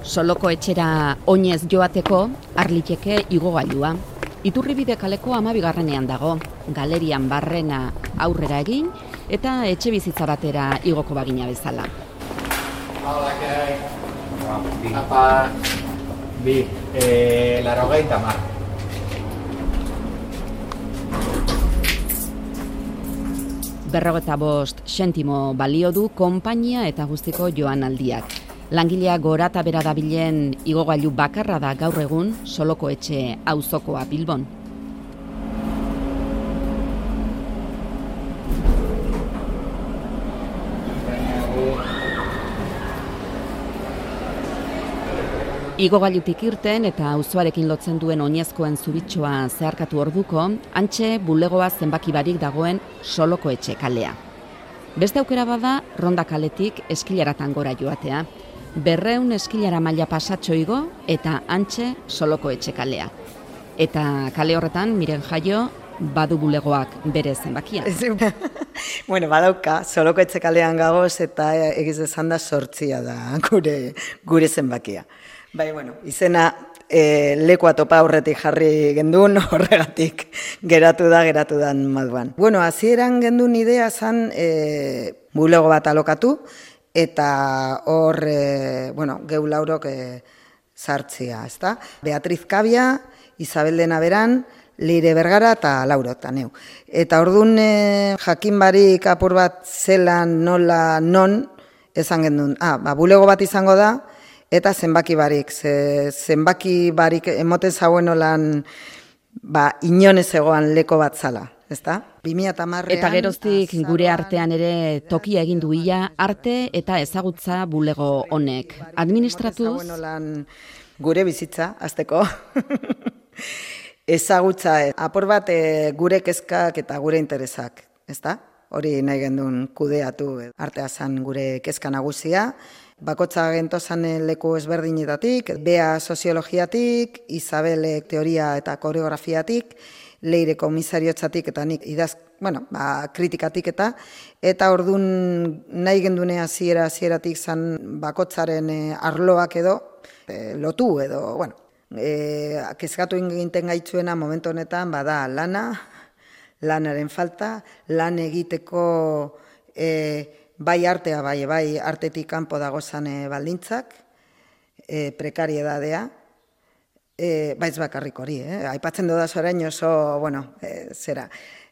Soloko etxera oinez joateko Arliteke igogailua. Iturribide kaleko 12. dago, galerian barrena aurrera egin eta etxe bizitza batera igoko bagina bezala. Hola, ¿qué hay? Apa, bi, 80. 45 zentimo balio du konpainia eta guztiko joan aldiak. Langilea gora eta bera dabilen igogailu bakarra da gaur egun Soloko etxe auzokoa Bilbon. Igogailutik irten eta auzoarekin lotzen duen oinezkoen zubitxoa zeharkatu orduko, hantxe bulegoa zenbaki barik dagoen Soloko etxe kalea. Beste aukera bada Ronda kaletik eskilaratan gora joatea. 200 eskilara maila pasatxo igo eta hantxe Soloko etxe kalea. Eta kale horretan, Miren Jaio, badu bulegoak bere zenbakia. Bueno, badauka, Soloko etxe kalean gagoz eta egiz esan da 8 da gure zenbakia. Bai, bueno, izena lekua topa aurretik jarri gendun, horregatik geratu dan moduan. Bueno, hasieran gendun idea zan bulego bat alokatu, eta hor, geu laurok sartzia, ezta? Beatriz Kabia, Isabel Dena Beran, Leire Bergara eta Lauro eta neu. Eta ordun jakin barik apur bat zelan nola non, esan gendun, bulego bat izango da, eta zenbaki barik emoten zauen olan inonez egoan leko bat zala, ezta? 2010 Eta geroztik gure artean ere tokia egin du ia arte eta ezagutza bulego honek. Administratuz gure bizitza, azteko. Ezagutza, apur bat gure kezkak eta gure interesak, ezta? Hori nahi gendun kudeatu, artea zan gure kezka nagusia. Bakotza gentozan leku ezberdinetatik, Bea soziologiatik, Isabelek teoria eta koreografiatik, Leire komisariotzatik eta nik kritikatik eta ordun nahi gendune hasieratik zan bakotzaren arloak edo, lotu edo, kezkatu egiten gaitzuena momentu honetan bada lanaren falta, lan egiteko bai artea, bai artetik kanpo dagozan baldintzak, prekariedadea, baiz bakarrik hori, aipatzen dudaz orain oso,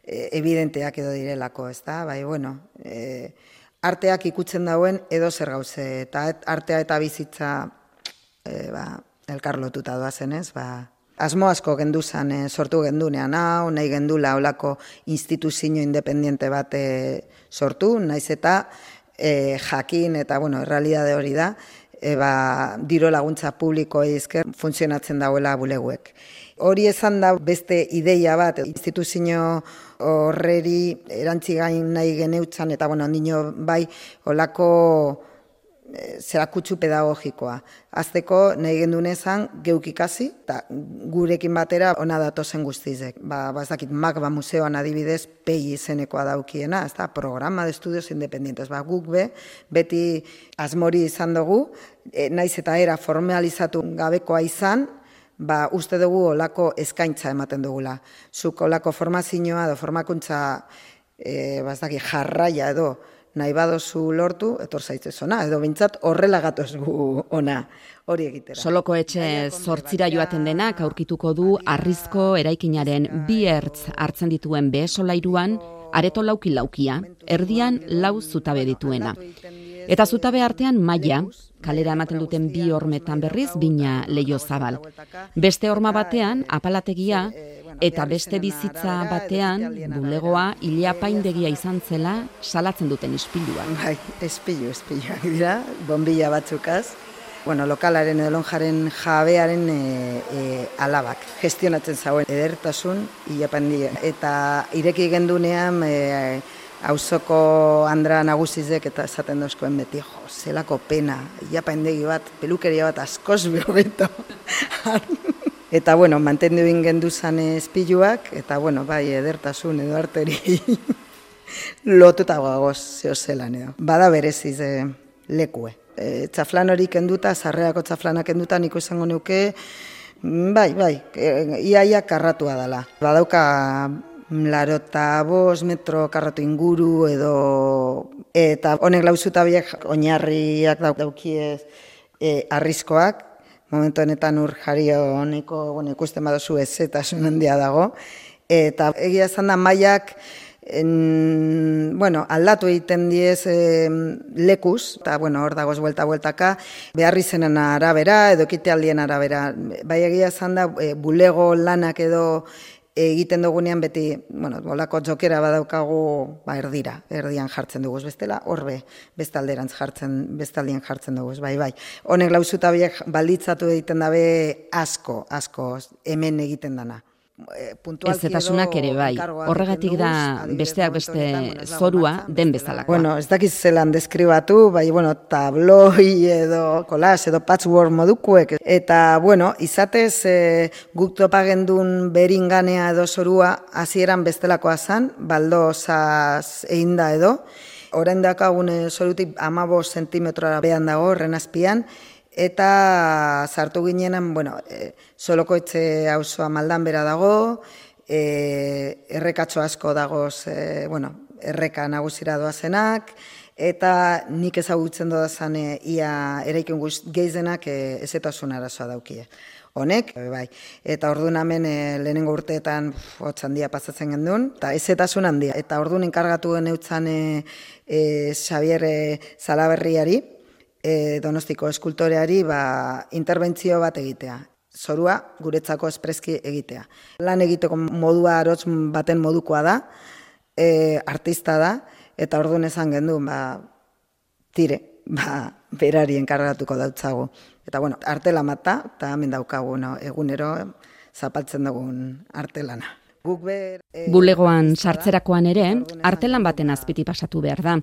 evidenteak edo direlako, ez da, arteak ikutzen dauen edo zer gauze, eta artea eta bizitza elkar lotuta doazen, ez, asmo asko genduzan sortu gendunean hau, nahi gendula olako instituzio independiente bat sortu, naiz eta jakin eta, errealidade hori da, diro laguntza publikoei esker funtzionatzen dauela buleguek. Hori esan da beste ideia bat, instituzio horreri erantzigain nahi geneutzan, eta ondino bai olako zerakutsu pedagogikoa. Azteko nahi gendunezan geuk ikasi, eta gurekin batera ona datozen guztizek. Bazakit Magba museoan adibidez PEI izenekoa daukiena, ez da, programa de estudios independientes. Guk beti asmori izan dugu, naiz eta era formalizatu gabekoa izan, uste dugu olako eskaintza ematen dugula. Zuk olako formazioa edo formakuntza jarraia edo nahi badozu lortu, etor zaitzez ona, edo bintzat horrela gatoz gu ona, hori egitera. Soloko etxe 8 joaten denak aurkituko du harrizko eraikinaren 2 ertz hartzen dituen behe-solairuan, areto lauki-laukia, erdian 4 zutabe dituena. Eta zutabe artean maila, kalera ematen duten 2 hormetan berriz, bina leio zabal. Beste horma batean, apalategia, eta beste bizitza batean, bulegoa ileapaindegia izan zela salatzen duten ispiluak. Bai, ispiluak dira, bombilla batzukaz. Lokalaren edo lonjaren jabearen alabak. Gestionatzen zauen edertasun ileapaindegia. Eta ireki gendunean auzoko andra nagusizek eta esaten dozkoen beti, zelako pena, ileapaindegi bat, pelukeria bat askoz behobeto. Eta, mantendu genduzan espiluak, eta, edertasun edo arteri lotuta gagoz zehozelan edo. Bada bereziz lekue. txaflan hori kenduta, sarrerako txaflanak kenduta, niko izango neuke, bai, iaia karratua dela. Badauka 85 metro karratu inguru edo, eta honek lauzuta biak oinarriak daukiez arriskoak, momentu honetan ur jario honeko, ikusten badozu ezetasun handia dago, eta egia esan da mailak aldatu egiten diez lekuz, eta hor dagoz buelta-bueltaka, behar izenen arabera, edo ekitealdien arabera. Bai egia esan da, bulego lanak edo egiten dugunean beti, bolako jokera badaukagu erdian jartzen dugu, bestela, horbe, bestaldien jartzen dugu, bai. Honek lauzuta biek balditzatu egiten dabe asko, hemen egiten dana. Ezetasunak ere bai, horregatik da besteak beste zorua den bezalakoa. Ez dakiz zelan deskribatu, tabloi edo kolas edo patchwork modukuek. Eta, izatez guk topagendun beringanea edo zorua hasieran bestelakoa zan, baldozaz egin da edo. Orain dakagun zorutik 15 zentimetrora behan dago, horren azpian, eta sartu ginenan, Soloko etxe auzoa Maldan bera dago, errekatxo asko dagoz, erreka nagusira doazenak, eta nik ezagutzen dodazan ia eraikin gehienak ezetasun arazoa daukie. Honek, bai. Eta orduan hemen lehenengo urteetan hotz handia pasatzen gendun, eta ezetasun handia. Eta orduan enkargatu geneutzan Xabier Zalaberriari, Donostiko eskultoreari, interbentzio bat egitea. Zorua guretzako espreski egitea. Lan egiteko modua arotz baten modukoa da, artista da, eta orduan esan gendun, berari enkargatuko dautzagu. Eta artelan bat da, eta hemen daukagu egunero zapaltzen dugun artelana. Bulegoan sartzerakoan ere, artelan baten azpiti pasatu behar da.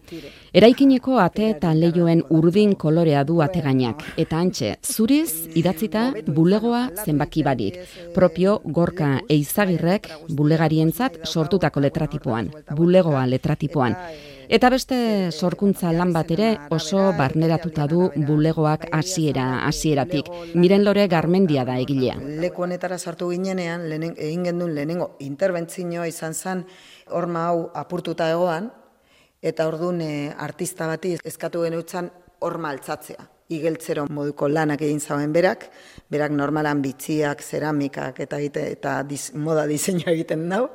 Eraikineko ate eta leihoen urdin kolorea du ategainak, eta antxe, zuriz idatzita bulegoa zenbaki barik, propio Gorka Eizagirrek bulegarientzat sortutako letratipoan, bulegoa letratipoan. Eta beste sorkuntza lan bat ere oso barneratuta du bulegoak hasieratik. Miren Lore Garmendia da egilea. Leku honetara sartu ginenean, egin gendun lehenengo interbentzioa izan zen horma hau apurtuta egoan, eta orduan artista bati eskatu genutzen horma altzatzea. Igeltzero moduko lanak egin zauen berak normalan bitziak, zeramikak eta moda diseinua egiten dau,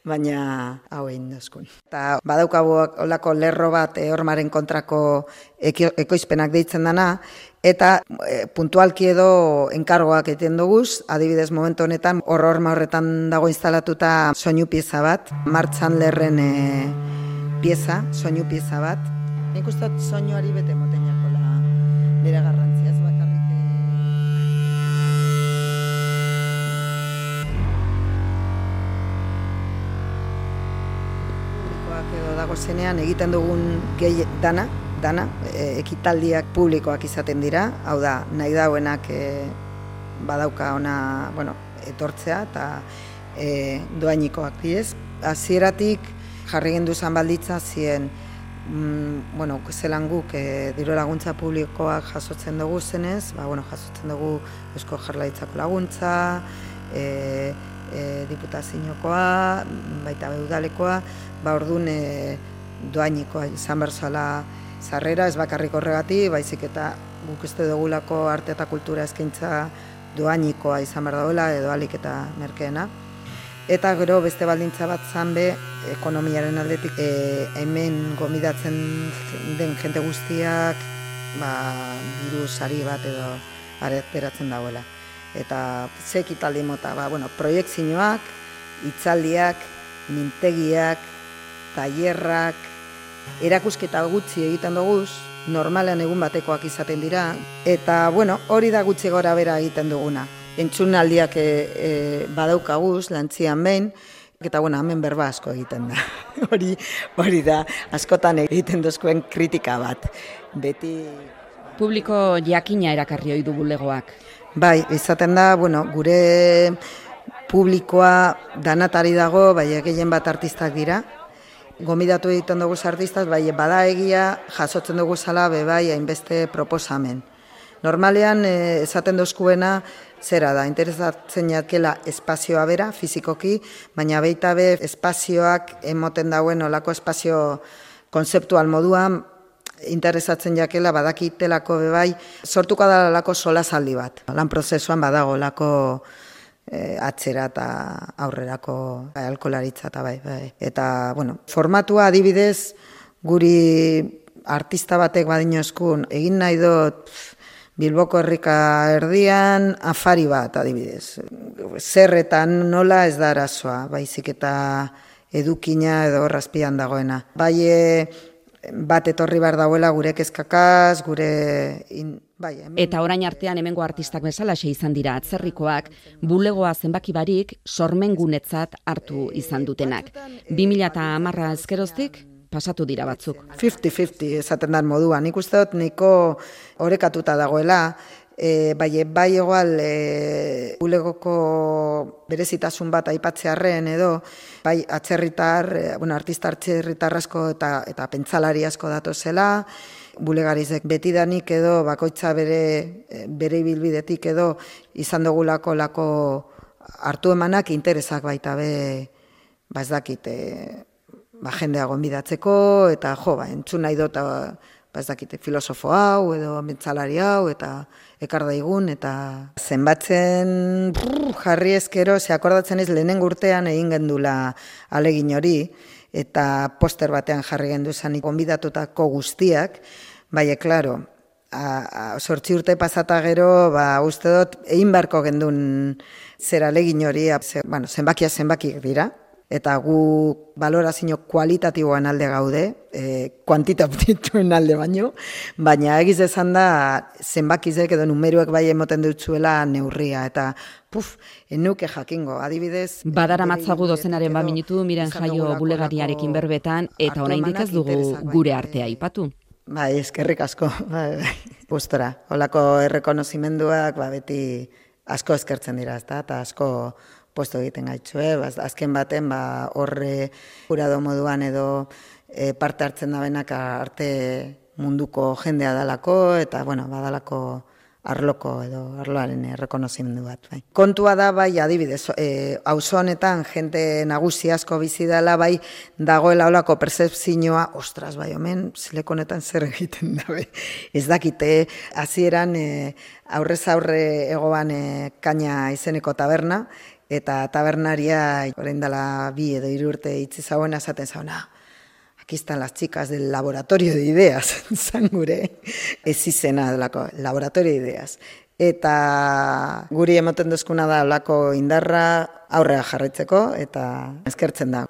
baina hau egin dozkun. Eta badaukagu olako lerro bat hormaren kontrako ekoizpenak deitzen dana, eta puntualki edo enkargoak egiten duguz, adibidez momentu honetan, horma horretan dago instalatuta soinu pieza bat, Martxan Lerren soinu pieza bat. Nik uste dut soinuari bete moten jakola. Bera garrantzia ez bakarrik. Publikoak edo dago zenean egiten dugun gehi dana, ekitaldiak publikoak izaten dira, hau da, nahi dauenak badauka ona, etortzea eta doainikoak diez. Hasieratik jarri genduzan balditza zien zelan guk diru laguntza publikoak jasotzen dugu zenez, jasotzen dugu Eusko Jaurlaritzako laguntza, diputaziokoa, baita udalekoa, orduan doainikoa izan berzala sarrera, ez bakarrik horregati, baizik eta guk uste dugulako arte eta kultura eskaintza doainikoa izan behar dagoela, edo alik eta merkeena. Eta gero beste baldintza bat zanbe, ekonomiaren aldetik, hemen gomidatzen den jente guztiak, diru sari bat edo beratzen dagoela. Eta ze ekitaldi mota, proiektzioak, hitzaldiak, mintegiak, tailerrak, erakusketa gutxi egiten duguz, normalean egun batekoak izaten dira, eta hori da gutxi gora bera egiten duguna. Entzunaldiak badaukaguz, lantzian behin, eta hemen berba asko egiten da. Hori da, askotan egiten duzkoen kritika bat. Beti... Publiko jakina erakarri ohi du bulegoak. Bai, izaten da, gure publikoa danatari dago, gehien bat artistak dira, gomidatu egiten dugu artistaz, bai, bada egia jasotzen dugu zala bai hainbeste proposamen. Normalean, esaten dozkuena, zera da, interesatzen jatkela espazioa bera, fizikoki, baina baita be espazioak emoten dauen olako espazio konzeptual moduan, interesatzen jakela badakitelako bai, sortuko da lako solasaldi bat. Lan prozesuan badago lako atzera eta aurrerako alkolaritza eta bai. Eta, bueno, formatua adibidez, guri artista batek badino eskun, egin nahi dut Bilboko herrika erdian afari bat adibidez. Zer eta nola ez da arazoa, baizik eta edukina edo razpian dagoena. Bai, bat etorri behar dauela gure kezkakaz, Eta orain artean hemengo artistak bezalaxe izan dira atzerrikoak, bulegoa zenbaki barik sormengunetzat hartu izan dutenak. 2010 ezkeroztik pasatu dira batzuk. 50-50 esaten dan moduan. Nik uste dut niko orekatuta dagoela, bai egoal bulegoko berezitasun bat aipatzearren edo, bai atzerritar, artista atzerritar asko eta pentsalari asko datozela, bulegarizek betidanik edo bakoitza bere ibilbidetik edo izan dugulako hartu emanak interesak baita ez dakit, jendea gonbidatzeko eta entzun nahi dut ez dakit, filosofo hau edo mentsalari hau eta ekar daigun eta zenbatzen jarri ezkero, akordatzen ez lehenengo urtean egin gendula alegin hori eta poster batean jarri genduzan gonbidatutako guztiak, bai, klaro, 8 urte pasata gero, uste dut, egin beharko gendun zer alegin hori, zenbakiak dira, eta gu balorazio kualitatiboan alde gaude, kuantitatituen alde baina egiz esan da zenbakizek edo numeruek bai emoten dutzuela neurria, eta enuke jakingo, adibidez... Badara matzagu dozenaren minutu Miren Jaio bulegariarekin berbetan, eta oraindik ez dugu gure artea aipatu. Bai, eskerrik asko, gustora. Holako errekonozimenduak beti asko eskertzen dira, eta asko posto egiten gaitzue, azken baten horre jurado moduan edo parte hartzen da benak arte munduko jendea dalako, eta badalako arloko edo arloaren errekonozimendu bat. Kontua da, adibidez, auzo honetan jente nagusi asko bizi dela, dagoela olako percepzioa, ostras, omen, zileko honetan zer egiten da, ez dakite, hasieran aurrez aurre egoan Kaina izeneko taberna, eta tabernaria, orain dela 2 edo 3 urte itzi zauen, esaten zauna, aquí están las chicas del laboratorio de ideas, zan gure, ez izena delako, laboratorio de ideas. Eta guri emoten duzkuna da olako indarra aurrera jarraitzeko, eta eskertzen da.